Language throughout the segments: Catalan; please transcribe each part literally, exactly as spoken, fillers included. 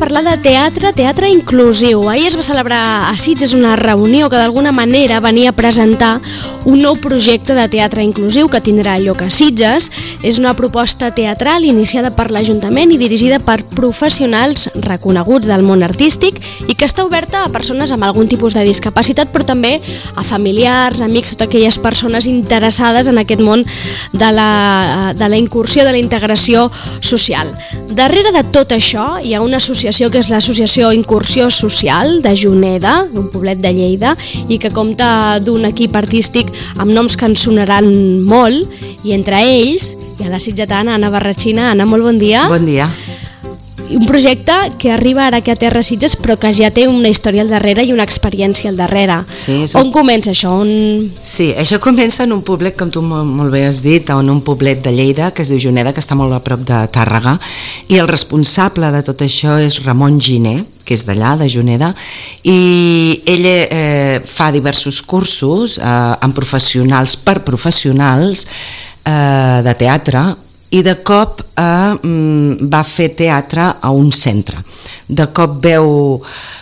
parlar de teatre, teatre inclusiu. Ahir es va celebrar a Sitges una reunió que d'alguna manera venia a presentar un nou projecte de teatre inclusiu que tindrà lloc a Sitges. És una proposta teatral iniciada per l'Ajuntament i dirigida per professionals reconeguts del món artístic i que està oberta a persones amb algun tipus de discapacitat, però també a familiars, amics, totes aquelles persones interessades en aquest món de la, de la incursió, de la integració social. Darrere de tot això hi ha una associació que és l'associació Incursió Social de Juneda, d'un poblet de Lleida, i que compta d'un equip artístic amb noms que ens sonaran molt, i entre ells hi ha la sitgetana Anna Barratxina. Anna, molt bon dia. Bon dia. Un projecte que arriba ara aquí a Terra Sitges però que ja té una història al darrere i una experiència al darrere. Sí, un... On comença això? On... Sí, això comença en un poblet, com tu molt, molt bé has dit, en un poblet de Lleida que es diu Juneda, que està molt a prop de Tàrrega, i el responsable de tot això és Ramon Giner, que és d'allà, de Juneda, i ell eh, fa diversos cursos eh, amb professionals per professionals eh, de teatre, i de cop eh, va fer teatre a un centre. De cop veu,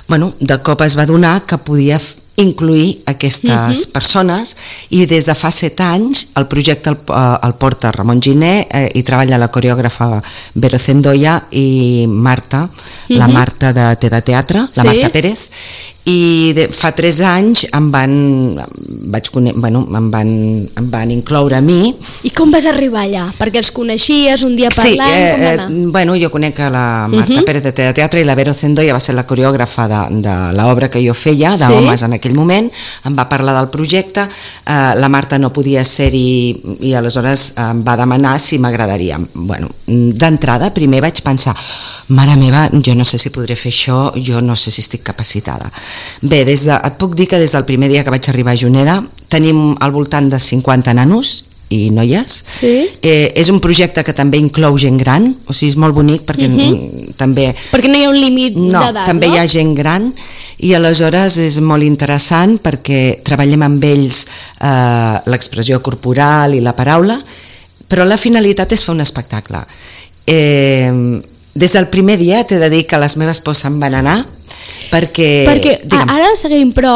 bueno, de cop es va adonar que podia incluir aquestes uh-huh. persones, i des de fa set anys el projecte el, el porta Ramon Giner, eh, i treballa la coreògrafa Vero Zendoya i Marta, uh-huh. la Marta de Te de Teatre, la sí. Marta Pérez, i de, fa tres anys em van, vaig, bueno, em, van, em van incloure a mi. I com vas arribar allà? Perquè els coneixies un dia parlant? Sí, eh, com va anar? Eh, bueno, jo conec a la Marta uh-huh. Pérez de Te de Teatre, i la Vero Zendoya va ser la coreògrafa de, de l'obra que jo feia, d'homes sí. en aquell moment. Em va parlar del projecte, eh, la Marta no podia ser-hi i aleshores em va demanar si m'agradaria. Bueno, d'entrada primer vaig pensar, mare meva, jo no sé si podré fer això, jo no sé si estic capacitada. Bé, des de, et puc dir que des del primer dia que vaig arribar a Juneda tenim al voltant de cinquanta nanos i noies. Sí. Eh, és un projecte que també inclou gent gran, o sigui, és molt bonic perquè uh-huh. també... Perquè no hi ha un límit no, d'edat, també no? hi ha gent gran, i aleshores és molt interessant perquè treballem amb ells eh, l'expressió corporal i la paraula, però la finalitat és fer un espectacle. Eh, des del primer dia t'he de dir que les meves pors se'n van anar, perquè, perquè digue'm. Ara seguim, però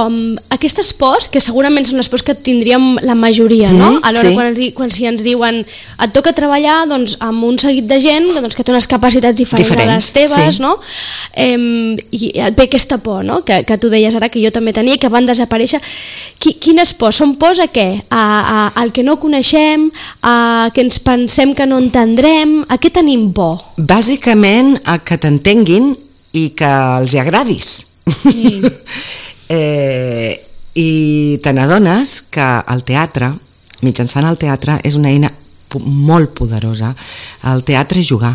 aquestes pors, que segurament són les pors que tindríem la majoria, no? Mm, Alhora, sí. quan, ens, quan si ens diuen et toca treballar doncs, amb un seguit de gent doncs, que té unes capacitats diferents, diferents a les teves, sí. no? Eh, i et ve aquesta por, no? que, que tu deies ara, que jo també tenia, que van desaparèixer. Qui, quines pors? Són pors a què? A, a, al que no coneixem, a que ens pensem que no entendrem, a què tenim por? Bàsicament a que t'entenguin i que els hi agradis. Mm. eh, I te n'adones que el teatre, mitjançant el teatre, és una eina molt poderosa. El teatre és jugar.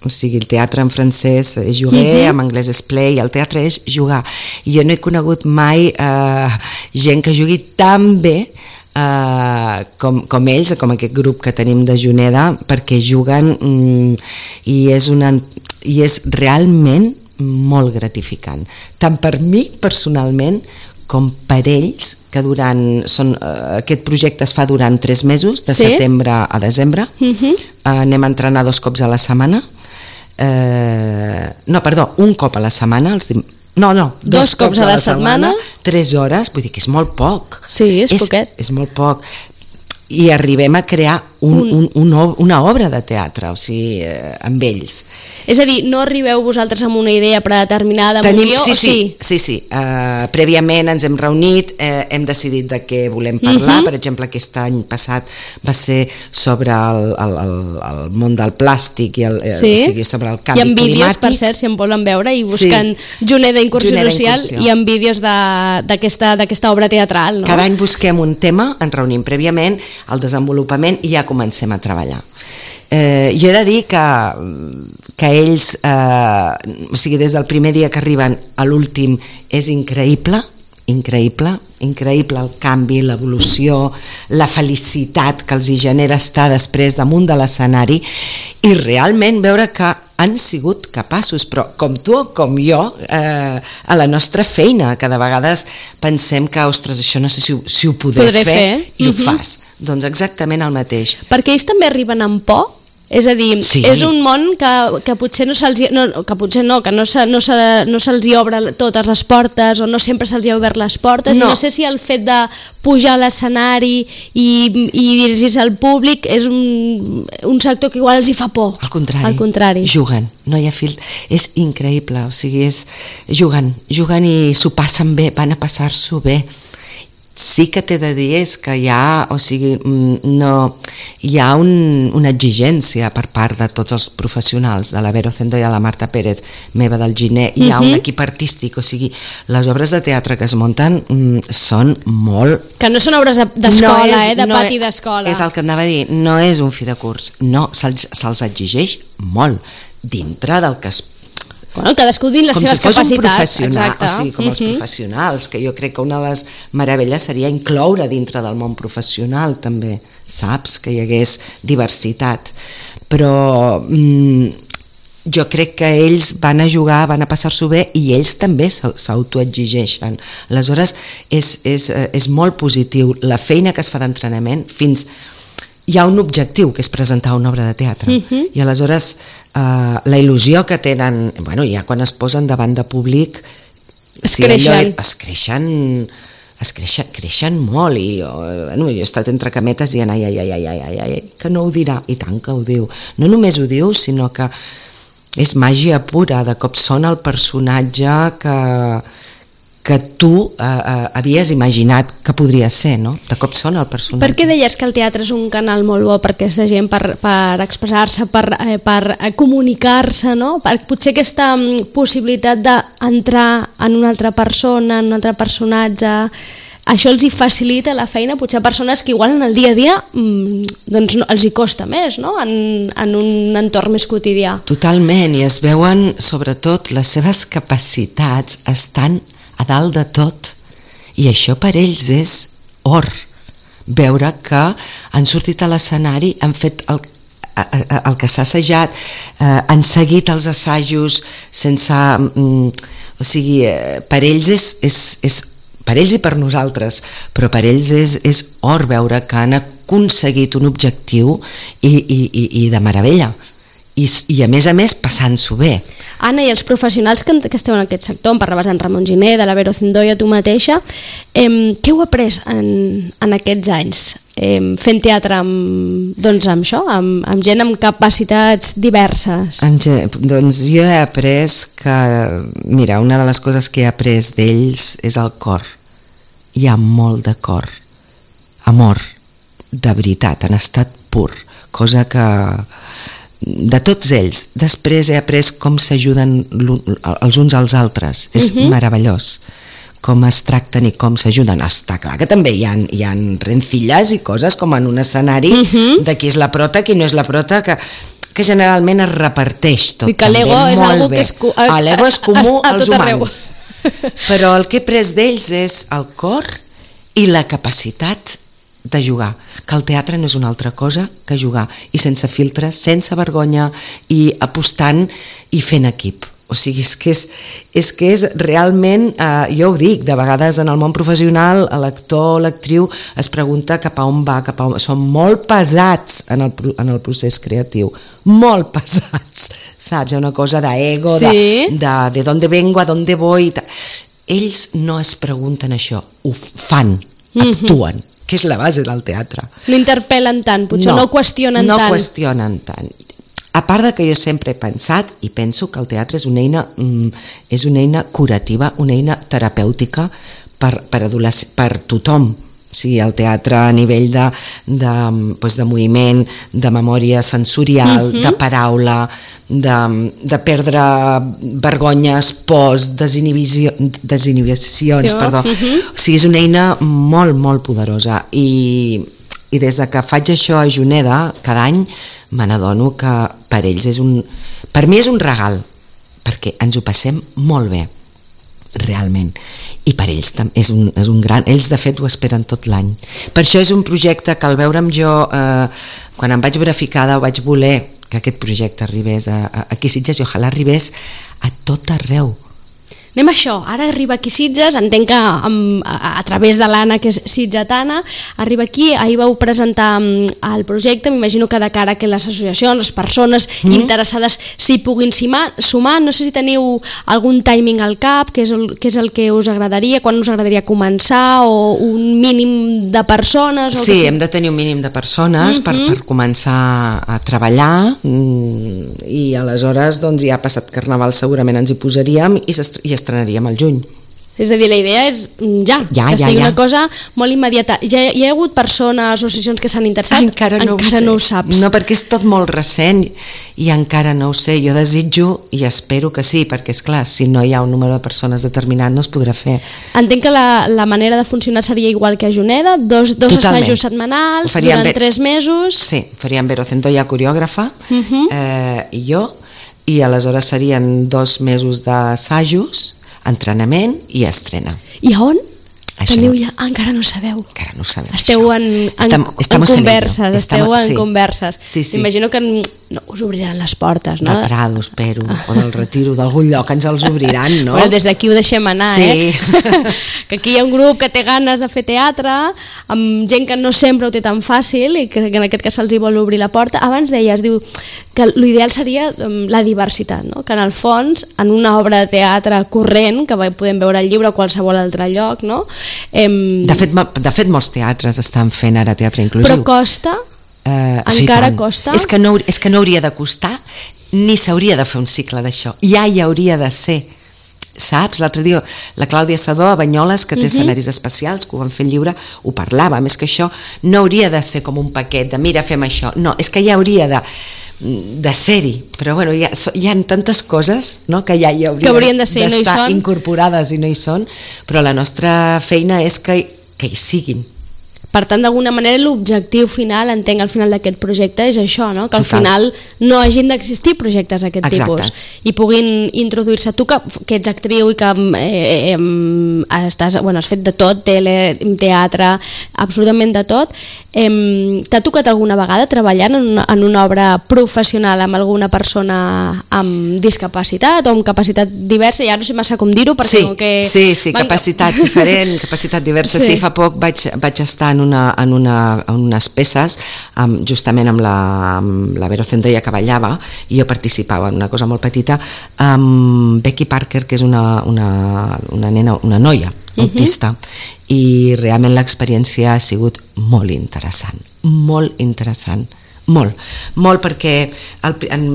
O sigui, el teatre en francès és jouer, uh-huh. en anglès és play, el teatre és jugar. I jo no he conegut mai eh, gent que jugui tan bé eh, com, com ells, com aquest grup que tenim de Juneda, perquè juguen mm, i és una, i és realment molt gratificant, tant per mi personalment com per ells, que durant són, uh, aquest projecte es fa durant tres mesos, de sí? setembre a desembre. Uh-huh. uh, anem a entrenar dos cops a la setmana, uh, no, perdó, un cop a la setmana, els dim... no, no, dos, dos cops, cops a la, la setmana, setmana, tres hores, vull dir que és molt poc. Sí, és, és poquet. És molt poc. I arribem a crear un, un, un, una obra de teatre, o sigui, eh, amb ells. És a dir, no arribeu vosaltres amb una idea predeterminada, amb Tenim, un guió, sí, o sí? Sí, sí, sí. Uh, prèviament ens hem reunit, eh, hem decidit de què volem parlar, uh-huh. per exemple, aquest any passat va ser sobre el, el, el, el món del plàstic, i el, sí? o sigui, sobre el canvi climàtic. I en vídeos, per cert, si en volen veure, i buscant sí. Juneda Incursió Juneda Social, Incursió. I en vídeos d'aquesta obra teatral. No? Cada any busquem un tema, ens reunim prèviament, el desenvolupament, i ja comencem a treballar. Eh, jo he de dir que, que ells, eh, o sigui, des del primer dia que arriben a l'últim és increïble, increïble, increïble el canvi, l'evolució, la felicitat que els hi genera estar després damunt de l'escenari i realment veure que han sigut capaços, però com tu o com jo, eh, a la nostra feina, que de vegades pensem que, ostres, això no sé si, si ho podré, podré fer, fer i uh-huh. ho fas. Doncs exactament el mateix. Perquè ells també arriben amb por? És a dir, sí. és un món que, que potser no se'ls no, que potser no, que no, se, no, se, no se'ls hi obre totes les portes o no sempre se'ls hi ha obert les portes no. i no sé si el fet de pujar a l'escenari i, i dirigir-se al públic és un, un sector que igual els hi fa por. Al contrari, al contrari. juguen, no hi ha fil... És increïble, o sigui, és juguen, juguen i s'ho passen bé, van a passar-s'ho bé. Sí que t'he de dir és que hi ha, o sigui, no, hi ha un, una exigència per part de tots els professionals, de la Vero Zendo i de la Marta Pérez, meva del Giné, hi ha uh-huh. un equip artístic, o sigui, les obres de teatre que es munten mm, són molt... Que no són obres d'escola, no eh, de no pati d'escola. És el que anava a dir, no és un fi de curs, no, se'ls, se'ls exigeix molt, dintre del que es Bueno, cadascú dins les com seves si fos capacitats, un exacte. O sigui, com uh-huh. els professionals, que jo crec que una de les meravelles seria incloure dintre del món professional també, saps? Que hi hagués diversitat. Però mm, jo crec que ells van a jugar, van a passar-s'ho bé i ells també s'autoexigeixen. Aleshores, és, és, és molt positiu. La feina que es fa d'entrenament fins... Hi ha un objectiu, que és presentar una obra de teatre. Uh-huh. I aleshores eh, la il·lusió que tenen, bueno, ja quan es posen davant de públic, es si creixen. Allò, es creixen, es creixen, creixen molt i jo, bueno, jo he estat entre cametes dient ai, ai, ai, ai, ai, ai, que no ho dirà, i tant que ho diu. No només ho diu, sinó que és màgia pura, de cop són el personatge que... que tu eh, eh, havies imaginat que podria ser, no? De cop són el personatge. Per què deies que el teatre és un canal molt bo per aquesta gent, per, per expressar-se, per, eh, per comunicar-se, no? Per, potser aquesta possibilitat d'entrar en una altra persona, en un altre personatge, això els hi facilita la feina, potser a persones que igual en el dia a dia doncs no, els hi costa més, no? En, en un entorn més quotidià. Totalment, i es veuen, sobretot, les seves capacitats estan a dalt de tot, i això per ells és or, veure que han sortit a l'escenari, han fet el, el que s'ha assajat, eh, han seguit els assajos sense mm, o sigui, eh, per ells és, és, és per ells i per nosaltres, però per ells és, és or veure que han aconseguit un objectiu i, i, i, i de meravella. I, i a més a més passant-s'ho bé. Anna, i els professionals que, que esteu en aquest sector, em parlaves d'en Ramon Giner, de la Vero Zendo i a tu mateixa, eh, què heu après en, en aquests anys eh, fent teatre amb, doncs amb això, amb, amb gent amb capacitats diverses? Amb gent, doncs jo he après que, mira, una de les coses que he après d'ells és el cor. Hi ha molt de cor, amor, de veritat, en estat pur, cosa que de tots ells. Després he après com s'ajuden els uns als altres, és uh-huh. meravellós com es tracten i com s'ajuden. Està clar que també hi ha, hi ha rencilles i coses com en un escenari uh-huh. de qui és la prota, qui no és la prota, que, que generalment es reparteix tot. I que l'ego és algo bé. que és, ah, l'ego és comú als humans, però el que he après d'ells és el cor i la capacitat de jugar, que el teatre no és una altra cosa que jugar, i sense filtres, sense vergonya, i apostant i fent equip. O sigui, és que és, és, que és realment, eh, jo ho dic, de vegades en el món professional l'actor o l'actriu es pregunta cap a on va, cap a on... Són molt pesats en el, en el procés creatiu, molt pesats, saps? Hi ha una cosa d'ego, sí. de, de, de dónde vengo, a dónde voy... Ells no es pregunten això, ho fan, actuen, mm-hmm. que és la base del teatre. No interpel·len tant, potser no, no qüestionen no tant. No qüestionen tant. A part de que jo sempre he pensat i penso que el teatre és una eina, mm, és una eina curativa, una eina terapèutica per, per, per tothom. O sigui, el teatre a nivell de, de, doncs de moviment, de memòria sensorial, uh-huh. de paraula, de, de perdre vergonyes, pors, desinhibició, desinhibicions, perdó. Uh-huh. O sigui, és una eina molt, molt poderosa. I, i des de que faig això a Juneda, cada any, me n'adono que per ells és un... Per mi és un regal, perquè ens ho passem molt bé, realment, i per ells és un, és un gran, ells de fet ho esperen tot l'any. Per això és un projecte que al veure'm jo eh, quan em vaig veure ficada vaig voler que aquest projecte arribés a, a, aquí a Sitges i ojalà arribés a tot arreu. anem a això, ara arriba aquí Sitges, entenc que amb, a, a través de l'Anna, que és sitgetana, arriba aquí, ahir vau presentar el projecte, m'imagino que de cara que les associacions, les persones mm. interessades s'hi puguin sumar, sumar, no sé si teniu algun timing al cap, què és, el, què és el que us agradaria, quan us agradaria començar, o un mínim de persones? O sí, que... hem de tenir un mínim de persones mm-hmm. per, per començar a treballar, i aleshores doncs, ja ha passat Carnaval, segurament ens hi posaríem i, i estrenaríem al juny. És a dir, la idea és ja, ja que ja, sigui ja. una cosa molt immediata. Ja hi ha hagut persones, associacions que s'han interessat? Encara no, encara ho, no ho saps. No, perquè és tot molt recent i encara no ho sé. Jo desitjo i espero que sí, perquè és clar, si no hi ha un número de persones determinat no es podrà fer. Entenc que la, la manera de funcionar seria igual que a Juneda, dos, dos assajos setmanals durant bé... tres mesos. Sí, faríem Vero Centolla, coreògrafa, uh-huh. eh, i jo, i aleshores serien dos mesos d'assajos, entrenament i estrena. I a on? Això teniu ja... Ah, encara no sabeu. Encara no sabem. Esteu en, en, Estam, en converses, estamos, esteu en sí. converses. Sí, sí. Imagino que no, us obriran les portes, no? Del Prado, espero, ah. o del Retiro, d'algun lloc ens els obriran, no? Bueno, des d'aquí ho deixem anar, sí. eh? Que aquí hi ha un grup que té ganes de fer teatre, amb gent que no sempre ho té tan fàcil i que en aquest cas se'ls hi vol obrir la porta. Abans deies, diu, que l'ideal seria um, la diversitat, no? Que en el fons, en una obra de teatre corrent, que podem veure al llibre o qualsevol altre lloc, no? Em... De fet, de fet, molts teatres estan fent ara teatre inclusiu. Però costa? Uh, encara sí, costa? És que, no, és que no hauria de costar, ni s'hauria de fer un cicle d'això. Ja hi hauria de ser. Saps? L'altre dia la Clàudia Sadó a Banyoles, que té uh-huh. escenaris especials, que ho van fer lliure, ho parlava. Més que això no hauria de ser com un paquet de mira, fem això. No, és que ja hauria de de ser-hi, però bueno, hi ha, hi ha tantes coses, no?, que ja hi haurien que haurien de ser, d'estar no hi incorporades i no hi són, però la nostra feina és que, que hi siguin. Per tant, d'alguna manera, l'objectiu final, entenc, al final d'aquest projecte és això, no? Que al Total. final no hagin d'existir projectes d'aquest tipus i puguin introduir-se. Tu que, que ets actriu i que eh, eh, estàs, bueno, has fet de tot, tele, teatre, absolutament de tot, eh, t'ha tocat alguna vegada treballar en una, en una obra professional amb alguna persona amb discapacitat o amb capacitat diversa? Ja no sé massa com dir-ho, perquè sí, com que... Sí, sí, van... capacitat diferent, capacitat diversa. Sí, sí fa poc vaig, vaig estar en Una, en, una, en unes peces amb, justament amb la, amb la Vero Centolla, que ballava, i jo participava en una cosa molt petita amb Becky Parker, que és una, una, una nena, una noia autista, uh-huh. i realment l'experiència ha sigut molt interessant, molt interessant, molt, molt, perquè el, en,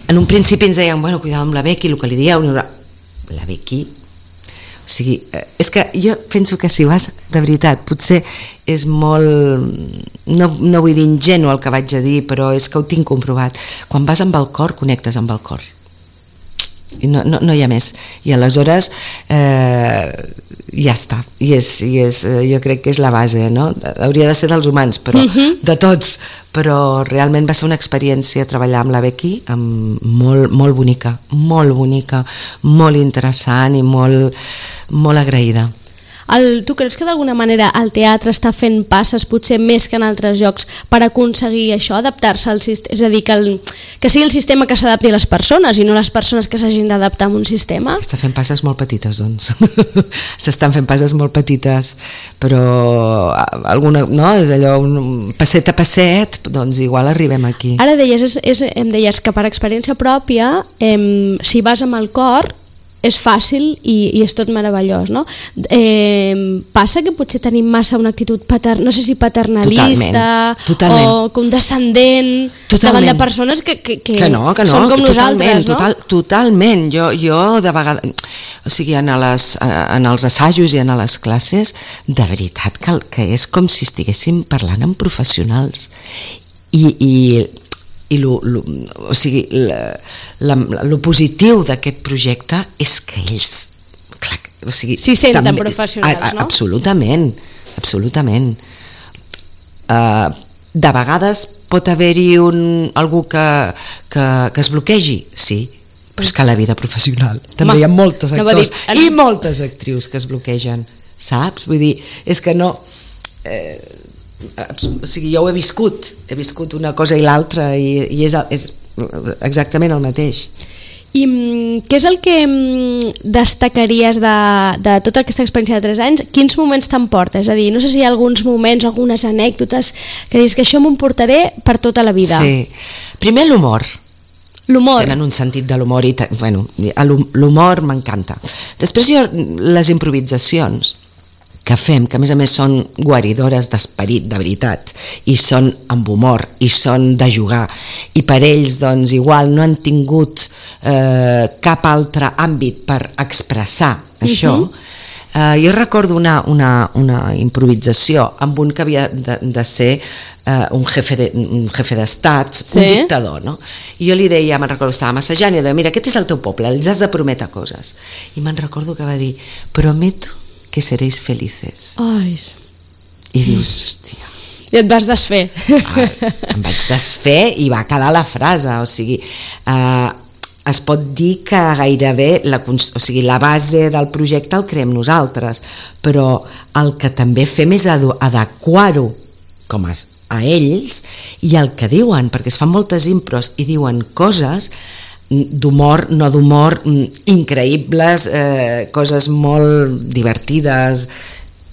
en un principi ens deien, bueno, cuidado amb la Becky, el que li dieu, la Becky... O sigui, és que jo penso que si vas, de veritat, potser és molt, no, no vull dir ingenu el que vaig a dir, però és que ho tinc comprovat. Quan vas amb el cor, connectes amb el cor. I no, no, no hi ha més. I aleshores eh, ja està. I és, i és, jo crec que és la base, no? Hauria de ser dels humans, però uh-huh. de tots. Però realment va ser una experiència treballar amb la Becky amb molt, molt bonica, molt bonica, molt interessant i molt, molt agraïda. El, tu creus que d'alguna manera el teatre està fent passes potser més que en altres llocs per aconseguir això, adaptar-se al sistema, és a dir, que, el, que sigui el sistema que s'adapti a les persones i no les persones que s'hagin d'adaptar a un sistema? Està fent passes molt petites, doncs. S'estan fent passes molt petites, però alguna, no, és allò, un passet a passet, doncs igual arribem aquí. Ara deies, és, és, em deies que per experiència pròpia, em, si vas amb el cor, és fàcil i, i és tot meravellós, no? Eh, passa que potser tenim massa una actitud patern, no sé si paternalista totalment, totalment. o condescendent totalment. Davant de persones que, que, que, que, no, que no, són com que nosaltres, no? Total, totalment, jo, jo de vegades, o sigui, en, les, en els assajos i en les classes, de veritat que, que és com si estiguéssim parlant amb professionals i, i i lo, lo, o sigui, la, la, lo positiu d'aquest projecte és que ells clar, o sigui, s'hi senten també, professionals, a, a, no? Absolutament, absolutament. Uh, de vegades pot haver-hi un, algú que, que, que es bloquegi, sí, però és que a la vida professional també Ma, hi ha moltes actors no dir, i moltes actrius que es bloquegen, saps? Vull dir, és que no... Eh, o sigui, jo ho he viscut he viscut una cosa i l'altra i, i és, és exactament el mateix. I què és el que destacaries de, de tota aquesta experiència de tres anys? Quins moments t'emporta? És a dir, no sé si hi ha alguns moments, algunes anècdotes que dius que això m'ho emportaré per tota la vida. Sí. Primer, l'humor. L'humor. Tenen un sentit de l'humor i, bueno, l'humor m'encanta. Després jo, les improvisacions que fem, que a més a més són guaridores d'esperit, de veritat, i són amb humor, i són de jugar, i per ells doncs igual no han tingut eh, cap altre àmbit per expressar això. Uh-huh. eh, jo recordo una, una, una improvisació amb un que havia de, de ser eh, un jefe de, un jefe d'estat, sí? Un dictador, no? I jo li deia, me'n recordo, estava massajant i deia, mira, aquest és el teu poble, els has de prometre coses, i me'n recordo que va dir, prometo que seréis felices. Ai. I dius, hòstia. I et vas desfer. Ah, em vaig desfer i va quedar la frase, o sigui, eh, es pot dir que gairebé la, o sigui, la base del projecte el creem nosaltres, però el que també fem és adequar-ho com a, a ells i el que diuen, perquè es fan moltes impros i diuen coses d'humor, no d'humor, increïbles, eh, coses molt divertides,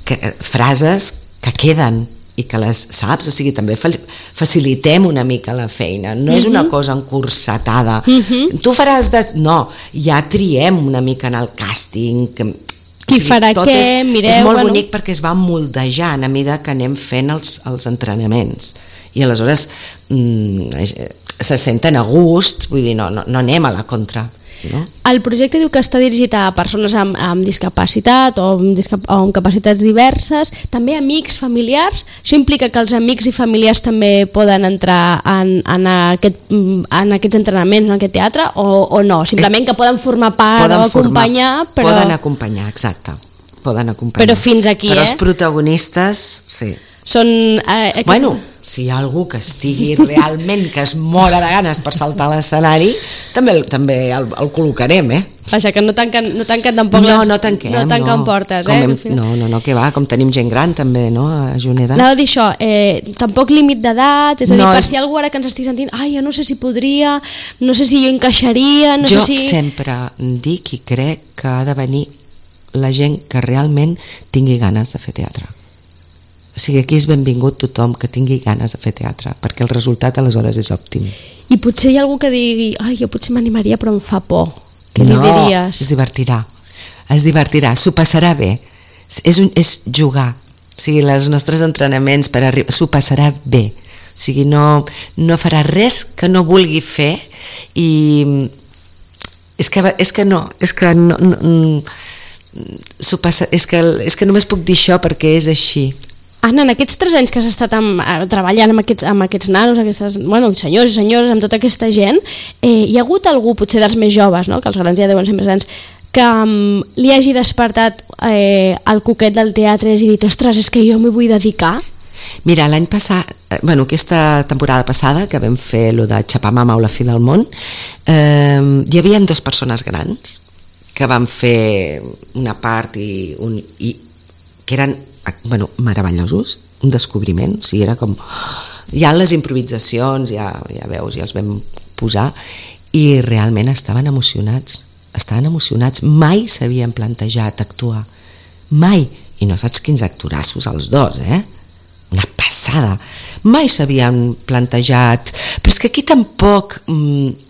que, frases que queden i que les saps, o sigui, també facilitem una mica la feina, no uh-huh. és una cosa encursetada, uh-huh. tu faràs de... no, ja triem una mica en el càsting, que, qui o sigui, farà què, és, mireu... És molt bueno. bonic perquè es va moldejant a mesura que anem fent els, els entrenaments, i aleshores mm, se senten a gust, vull dir, no, no, no anem a la contra. No? El projecte diu que està dirigit a persones amb, amb discapacitat o amb, discap o amb capacitats diverses, també amics, familiars. Això implica que els amics i familiars també poden entrar en, en, aquest, en aquests entrenaments, en aquest teatre, o, o no? Simplement és, que poden formar part poden o acompanyar, formar, però... Poden acompanyar, exacte. Poden acompanyar. Però fins aquí, però eh? Però els protagonistes, sí. Són... Eh, aquest... Bueno, si hi ha algú que estigui realment, que es mora de ganes per saltar a l'escenari, també, també el, el col·locarem, eh? Vaja, que no tanquen, no tanquen tampoc no, les... No, tanquem, no tanquen no. portes, com eh? Hem, no, no, no, que va, com tenim gent gran també, no, a Juneda. Anava a dir això, eh, tampoc límit d'edat, és a dir, no, per és... si algú ara que ens estigui sentint, ai, jo no sé si podria, no sé si jo encaixaria, no jo sé si... Jo sempre dic i crec que ha de venir la gent que realment tingui ganes de fer teatre. O sigui, aquí és benvingut tothom que tingui ganes de fer teatre, perquè el resultat aleshores és òptim. I potser hi ha algú que digui, ai, jo potser m'animaria però em fa por. Què no, li diries? es divertirà, es divertirà, s'ho passarà bé, és, un, és jugar, o sigui, els nostres entrenaments per arribar, s'ho passarà bé, o sigui, no, no farà res que no vulgui fer i és que, és que no, és que no, no s'ho passa, és que, és que només puc dir això perquè és així. Anna, en aquests tres anys que has estat amb, treballant amb aquests, amb aquests nanos, aquestes, bueno, senyors i senyores, amb tota aquesta gent, eh, hi ha hagut algú, potser dels més joves, no? Que els grans ja deuen ser més grans, que um, li hagi despertat eh, el coquet del teatre i hagi dit, ostres, és que jo m'hi vull dedicar? Mira, l'any passat, bueno, aquesta temporada passada, que vam fer lo de xapar mama o la fi del món, eh, hi havia dues persones grans que van fer una part i, un, i que eren bueno, meravellosos, un descobriment, o sigui, era com... Ja les improvisacions, ja, ja veus, ja els vam posar, i realment estaven emocionats, estaven emocionats, mai s'havien plantejat actuar, mai, i no saps quins actorassos els dos, eh? Una passada, mai s'havien plantejat, però és que aquí tampoc... Mm,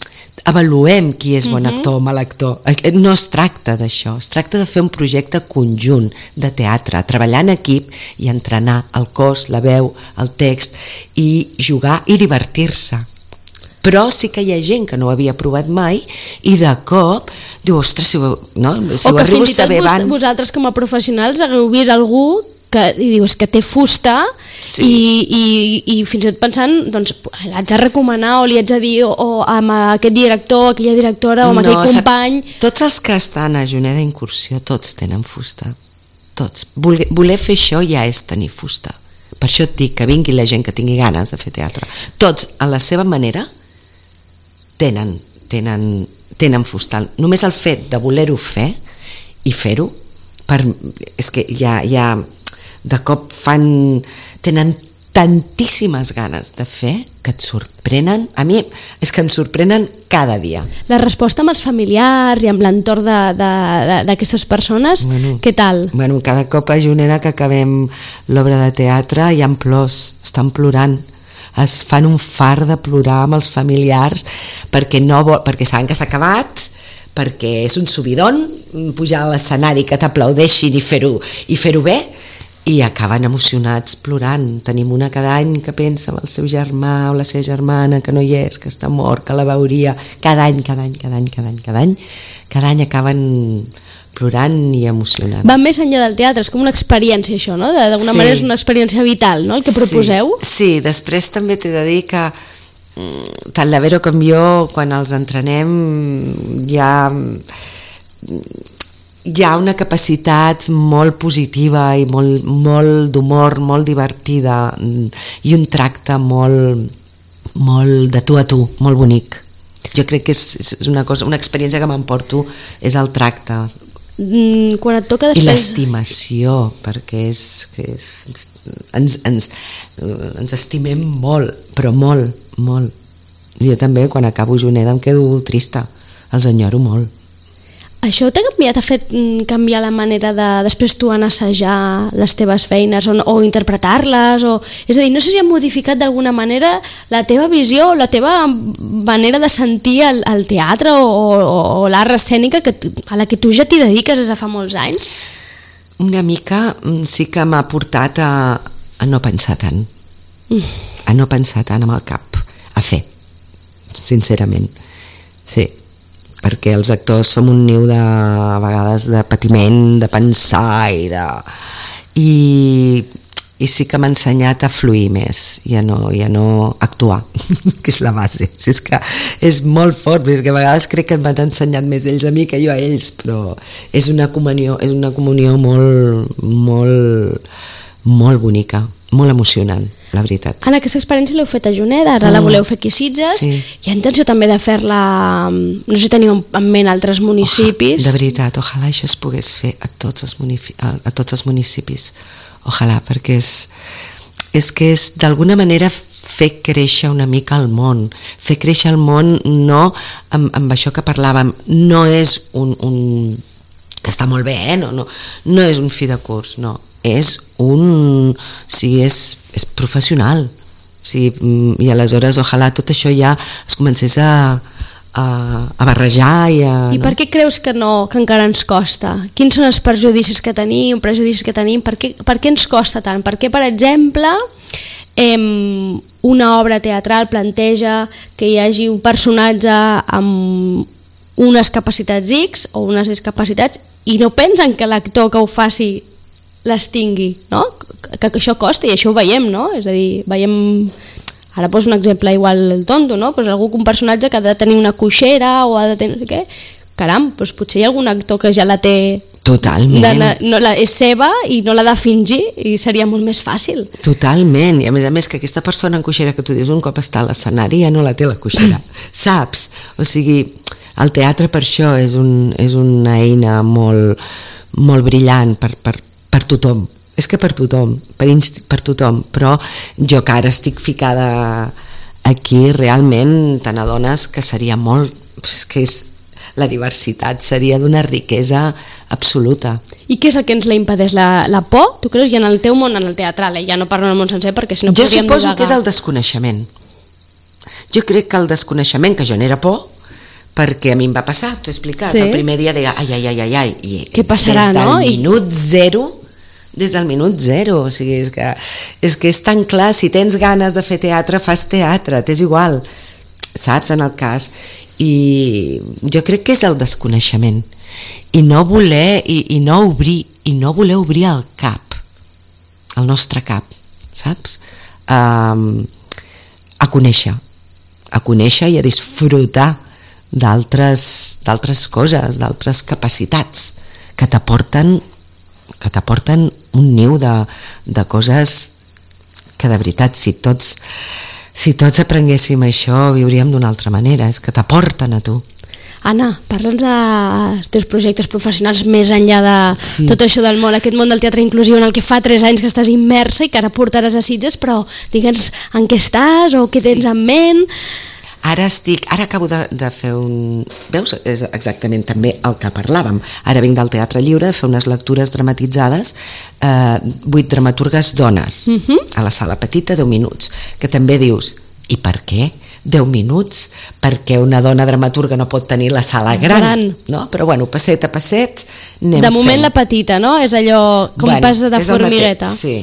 avaluem qui és bon actor o mal actor, no es tracta d'això, es tracta de fer un projecte conjunt de teatre, treballar en equip i entrenar el cos, la veu, el text i jugar i divertir-se. Però sí que hi ha gent que no ho havia provat mai i de cop diu, ostres, si ho, no? Si o ho que fins i tot vos, abans... vosaltres com a professionals hagueu vist algú que i dius que té fusta sí. i, i, i fins i tot pensant doncs l'haig de recomanar o li haig de dir o, o amb aquest director, aquella directora o amb no, aquell company. Tots els que estan a Juneda Incursió tots tenen fusta, tots. Voler, voler fer això ja és tenir fusta, per això et dic que vingui la gent que tingui ganes de fer teatre, tots a la seva manera tenen, tenen, tenen fusta, només el fet de voler-ho fer i fer-ho per, és que ja, ja de cop fan, tenen tantíssimes ganes de fer que et sorprenen. A mi és que em sorprenen cada dia. La resposta amb els familiars i amb l'entorn d'aquestes persones, bueno, què tal? Bueno, cada cop a Juneda que acabem l'obra de teatre hi ha plors, estan plorant, es fan un fart de plorar amb els familiars perquè, no vol, perquè saben que s'ha acabat, perquè és un subidon pujar a l'escenari, que t'aplaudeixin i fer-ho i fer-ho bé, i acaben emocionats plorant. Tenim una cada any que pensa en el seu germà o la seva germana que no hi és, que està mort, que la veuria. Cada any, cada any, cada any, cada any, cada any, cada any acaben plorant i emocionant. Va més enllà del teatre, és com una experiència això, no? D'alguna sí. manera és una experiència vital, no?, el que proposeu. Sí, sí, després també t'he de dir que tant la Vero com jo, quan els entrenem, ja... hi ha una capacitat molt positiva i molt, molt d'humor, molt divertida, i un tracte molt, molt de tu a tu, molt bonic. Jo crec que és, és una cosa, una experiència que m'emporto és el tracte. Mm, quan et toca després... I l'estimació, perquè és, que és, ens, ens, ens estimem molt, però molt, molt. Jo també, quan acabo Juneda, em quedo trista, els enyoro molt. Això t'ha canviat, ha fet canviar la manera de després tu en assajar les teves feines o, o interpretar-les? O... És a dir, no sé si ha modificat d'alguna manera la teva visió o la teva manera de sentir el, el teatre o, o, o l'art escènica que, a la que tu ja t'hi dediques des de fa molts anys? Una mica sí que m'ha portat a, a no pensar tant, mm. a no pensar tant amb el cap, a fer, sincerament, sí. Perquè els actors som un niu de a vegades de patiment, de pensar i de... I, i sí que m'ha ensenyat a fluir més i a no, i a no actuar, que és la base. Si és que és molt fort, és que a vegades crec que m'han ensenyat més ells a mi que jo a ells, però és una comunió, és una comunió molt, molt, molt bonica, molt emocionant, la veritat. En aquesta experiència l'heu fet a Juneda, ara mm. la voleu fer aquí a Sitges, sí. Hi ha intenció també de fer-la, no sé si teniu en ment altres municipis. Oja, de veritat, ojalà això es pogués fer a tots els, a, a tots els municipis, ojalà, perquè és, és que és d'alguna manera fer créixer una mica el món, fer créixer el món no amb, amb això que parlàvem, no és un, un que està molt bé, eh? no, no, no és un fi de curs, no, és un... sí, és, és professional. Sí, i aleshores ojalà tot això ja es comencés a, a, a barrejar i a... I per què creus que no, que encara ens costa? Quins són els perjudicis que tenim, prejudicis que tenim? Per què, per què ens costa tant? Per què, per exemple, eh, una obra teatral planteja que hi hagi un personatge amb unes capacitats X o unes discapacitats i no pensen que l'actor que ho faci les tingui, no? Que, que això costa i això ho veiem, no? És a dir, veiem... Ara poso un exemple igual tonto, no? Pues algú, un personatge que ha de tenir una coixera o ha de tenir... Què? Caram, doncs potser hi ha algun actor que ja la té... Totalment. De, no, la, és seva i no l'ha de fingir i seria molt més fàcil. Totalment. I a més a més que aquesta persona en coixera que tu dius un cop està a l'escenari ja no la té la coixera. Saps? O sigui, el teatre per això és, un, és una eina molt, molt brillant per... per per tothom, és que per tothom, per, inst- per tothom, però jo que ara estic ficada aquí realment te n'adones que seria molt, és que és, la diversitat seria d'una riquesa absoluta. I què és el que ens la impedeix? La, la por? Tu creus? I en el teu món, en el teatral, eh? Ja no parlo en el món sencer perquè si no podríem divagar. Jo suposo divagar. que és el desconeixement. Jo crec que el desconeixement, que genera por, perquè a mi em va passar, t'ho he explicat, sí. El primer dia deia ai, ai, ai, ai, ai, i què passarà, des del no? minut zero, des del minut zero, o sigui, és que, és que és tan clar, si tens ganes de fer teatre, fas teatre, t'és igual, saps, en el cas, i jo crec que és el desconeixement, i no voler, i, i no obrir, i no voler obrir el cap, el nostre cap, saps? Um, a conèixer, a conèixer i a disfrutar d'altres d'altres coses, d'altres capacitats que t'aporten que t'aporten un niu de, de coses que de veritat si tots si tots aprenguéssim això viuríem d'una altra manera, és que t'aporten a tu. Anna, parla'ns dels teus projectes professionals més enllà de sí. tot això del món, aquest món del teatre inclusiu en el que fa tres anys que estàs immersa i que ara portaràs a Sitges, però digue'ns en què estàs o què tens sí. en ment. Ara estic, ara acabo de, de fer un... Veus? És exactament també el que parlàvem. Ara vinc del Teatre Lliure de fer unes lectures dramatitzades, eh, vuit dramaturgues dones, uh-huh. a la sala petita, deu minuts, que també dius, i per què? deu minuts, perquè una dona dramaturga no pot tenir la sala gran, gran. No? Però bueno, passet a passet anem de moment fent. La petita, no? És allò com bueno, pas de formigueta. Sí.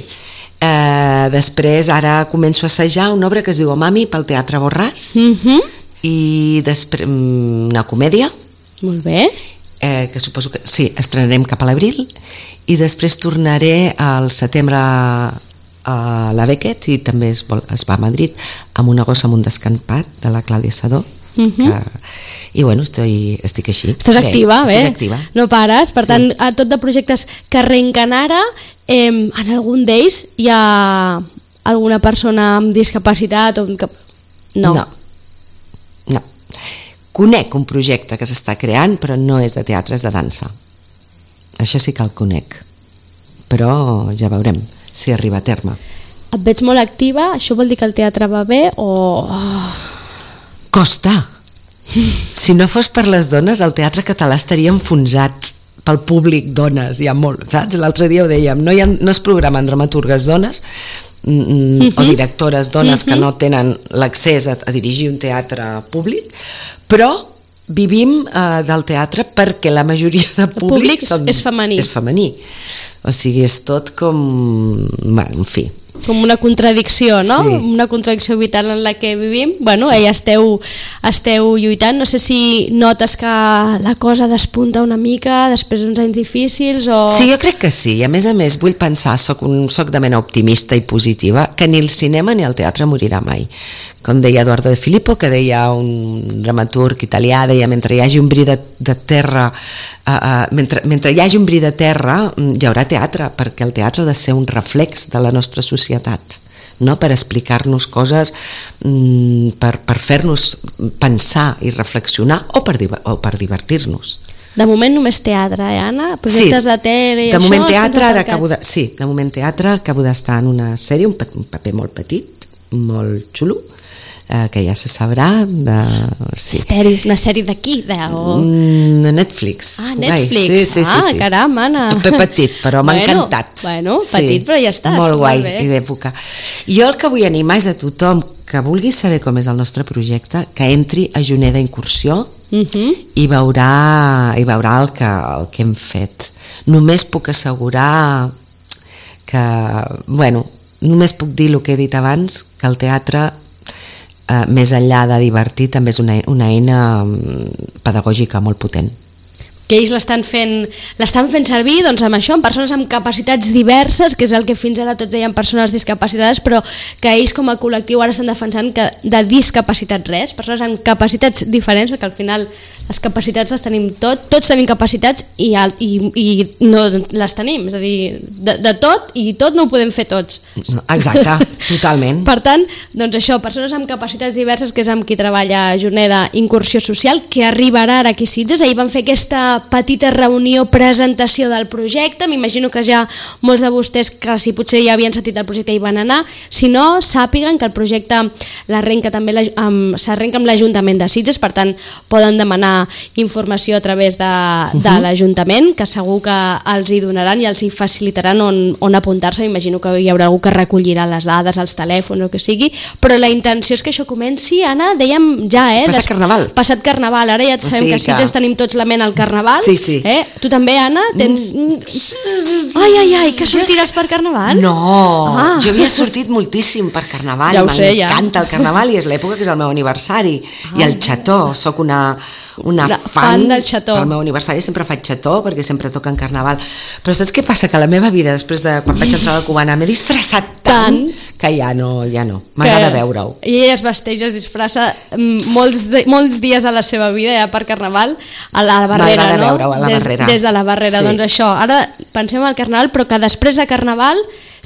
Uh, després ara començo a assajar una obra que es diu O Mami pel Teatre Borràs uh-huh. i després una comèdia. Molt bé. Eh, que suposo que sí, estrenarem cap a l'abril i després tornaré al setembre a la Beckett i també es, vol, es va a Madrid amb una gossa amb un descampat de la Clàudia Sadó uh-huh. que, i bueno, estoy, estic així. Estàs bé, activa, bé, activa. No pares, per sí. tant, a tot de projectes que arrenquen ara, eh, en algun d'ells hi ha alguna persona amb discapacitat o que... no. no no conec un projecte que s'està creant però no és de teatre, és de dansa, això sí que el conec, però ja veurem si arriba a terme. Et veig molt activa, això vol dir que el teatre va bé o... Oh. Costa! Si no fos per les dones, el teatre català estaria enfonsat pel públic dones, hi ha molt, saps? L'altre dia ho dèiem, no, hi ha, no es programen dramaturgues dones mm, mm, o directores dones mm-hmm. que no tenen l'accés a, a dirigir un teatre públic, però vivim uh, del teatre perquè la majoria de públic, públic són, és femení. És femení. O sigui, és tot com... Bueno, en fi. Com una contradicció, no? Sí. Una contradicció vital en la que vivim. Bueno, sí. esteu, esteu lluitant. No sé si notes que la cosa despunta una mica després d'uns anys difícils o... Sí, jo crec que sí. I a més a més vull pensar, soc, un, soc de mena optimista i positiva, que ni el cinema ni el teatre morirà mai. Com deia Eduardo de Filippo, que deia un dramaturg italià, deia, mentre hi hagi un bri de, de terra, uh, uh, mentre, mentre hi hagi un bri de terra, hi haurà teatre, perquè el teatre ha de ser un reflex de la nostra societat, no? Per explicar-nos coses, mm, per, per fer-nos pensar i reflexionar o per, o per divertir-nos. De moment només teatre, eh, Anna? Projectes sí, de tele i de això? Moment teatre, ara acabo de, sí, de moment teatre, acabo d'estar en una sèrie, un, un paper molt petit, molt xulo, eh, que ja se sabrà de... Sí. Misteris, una sèrie d'aquí? De, o... mm, Netflix. Ah, Netflix. Ai, sí, sí, ah, sí, sí. caram, Anna. Paper petit, però m'ha bueno, encantat. Bueno, petit, sí, però ja estàs. Molt guai, molt i d'època. Jo el que vull animar és a tothom que vulgui saber com és el nostre projecte, que entri a Juneda Incursió uh-huh. i veurà, i veurà el, que, el que hem fet. Només puc assegurar que, bueno, només puc dir el que he dit abans, que el teatre, eh, més enllà de divertir, també és una, una eina pedagògica molt potent. Que ells l'estan fent, l'estan fent servir doncs, amb això, amb persones amb capacitats diverses, que és el que fins ara tots deien persones discapacitades, però que ells com a col·lectiu ara estan defensant que de discapacitat res, persones amb capacitats diferents, perquè al final les capacitats les tenim tot, tots tenim capacitats i, i, i no les tenim, és a dir, de, de tot i tot no ho podem fer tots. Exacte, totalment. Per tant, doncs això, persones amb capacitats diverses, que és amb qui treballa Juneda Incursió Social, que arribarà ara aquí a Sitges. Ahir van fer aquesta petita reunió, presentació del projecte, m'imagino que ja molts de vostès que si potser ja havien sentit el projecte hi van anar, si no, sàpiguen que el projecte l'arrenca també amb, s'arrenca amb l'Ajuntament de Sitges, per tant poden demanar informació a través de, de uh-huh. l'Ajuntament, que segur que els hi donaran i els hi facilitaran on, on apuntar-se. M'imagino que hi haurà algú que recollirà les dades, els telèfons o que sigui, però la intenció és que això comenci, Anna, dèiem ja, eh? Passat Carnaval. Passat Carnaval, ara ja sabem sí, que a Sitges que... tenim tots la ment al Carnaval. Sí, sí. Eh? Tu també, Anna, tens... Ai, ai, ai, que sortiràs per Carnaval? No, ah. jo havia sortit moltíssim per Carnaval, ja ho sé, ja. M'encanta el Carnaval i és l'època que és el meu aniversari, ah. i el xató, sóc una, una de, fan, fan del xató. Pel meu aniversari sempre faig xató perquè sempre toca en Carnaval, però saps què passa? Que la meva vida, després de quan vaig entrar a la Cubana, m'he disfressat tant, tant que ja no, ja no, m'agrada veure-ho. I ella es vesteix, es disfressa molts, de, molts dies a la seva vida, ja per Carnaval, a la Barrera, no? A la des, barrera. Des de la Barrera, sí. Doncs això, ara pensem al Carnaval, però que després de Carnaval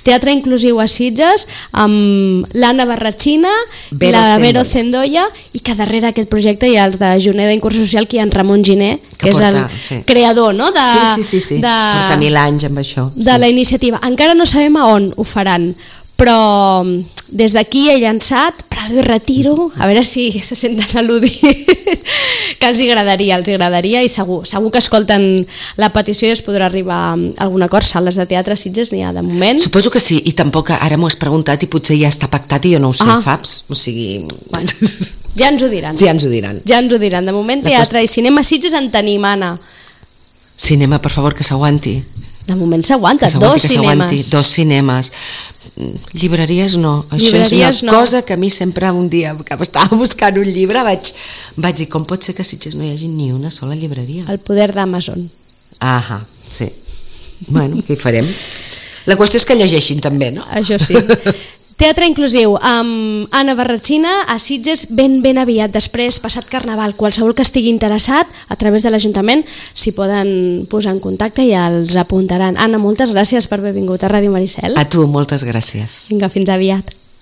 Teatre inclusiu a Sitges, amb l'Anna Barratxina, Vero la Zendoya. Vero Zendoya, i que darrere aquest projecte hi ha els de Juneda Incursió Social, que hi ha en Ramon Giner, que, Que és porta, el sí. creador, no? De, Sí, sí, sí, sí. de, Porta mil anys amb això. de sí. la iniciativa. Encara no sabem a on ho faran, però des d'aquí he llançat Prado i Retiro, a veure si se senten al·ludits, que els agradaria, els agradaria, i segur, segur que escolten la petició i es podrà arribar a algun acord. Sales de teatre a Sitges n'hi ha de moment. Suposo que sí, i tampoc ara m'ho has preguntat i potser ja està pactat i jo no ho sé, Ah. saps? O sigui... Bueno, ja ens ho diran. Sí, ja ens ho diran. Ja ens ho diran. De moment La teatre i cinema a Sitges en tenim, Anna. Cinema, per favor, que s'aguanti. De moment s'aguanta, Que s'aguanti, dos que s'aguanti. cinemes. Dos cinemes. Llibreries no. Això Llibreries és una no. cosa que a mi sempre un dia que estava buscant un llibre vaig, vaig dir, com pot ser que a Sitges no hi hagi ni una sola llibreria? El poder d'Amazon. Ahà, sí. Bueno, què hi farem? La qüestió és que llegeixin també, no? Això sí. Teatre inclusiu amb Anna Barratxina a Sitges ben ben aviat, després, passat Carnaval. Qualsevol que estigui interessat, a través de l'Ajuntament s'hi poden posar en contacte i els apuntaran. Anna, moltes gràcies per haver vingut a Ràdio Maricel. A tu, moltes gràcies. Vinga, fins aviat.